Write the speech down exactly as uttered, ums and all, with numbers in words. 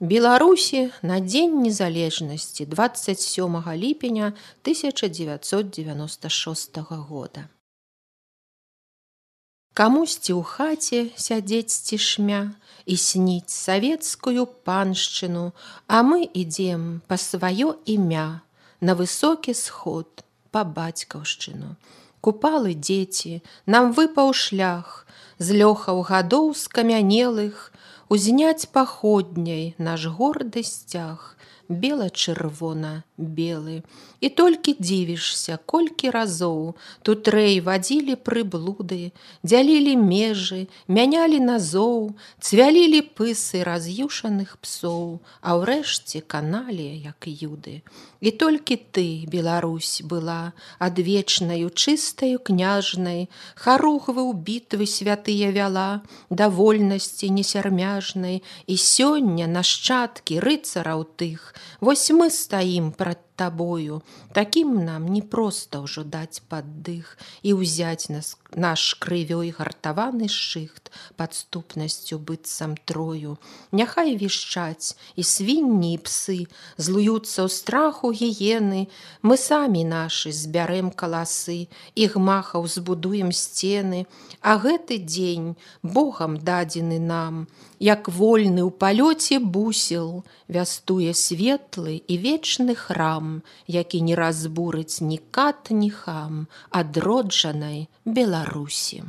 Беларусі на дзень незалежнасці двадцать сёмага ліпеня тысяча дзевяцьсот дзевяноста шостага года. Камусьці ў хаце сядзець цішмя і сніць савецкую паншчыну, а мы ідзем па сваё імя на высокі сход па бацькаўшчыну. Купалы дзеці, нам выпаў шлях з лёхаў гадоў скамянелых, узняць паходняй наш горды сцяг, бела-чырвона-белы. І толькі дзівішся, колькі разоў тут рэй вадзілі прыблуды, дзялілі межы, мянялі назоў, цвялілі пысы раз'юшаных псоў, а ўрэшце каналі, як юды. І толькі ты, Беларусь, была адвечнаю чыстаю княжнай, харугвы ў бітвы святыя вяла, да вольнасці несярмяжнай, і сёння нашчадкі рыцараў тых, вось мы стаім прад табою, такім нам не проста ўжо даць паддых і ўзяць нас, наш крывёй гартаваны шыхт падступнасцю быццам трою. Няхай вішчаць і свінні і псы, злуюцца ў страху гіены, мы самі нашы збярэм каласы, і гмахаў збудуем сцены, а гэты дзень Богам дадзены нам, як вольны ў палёце бусел, вястуе светлы і вечны храм, які не разбурыць ні кат, ні хам адроджанай Беларусі.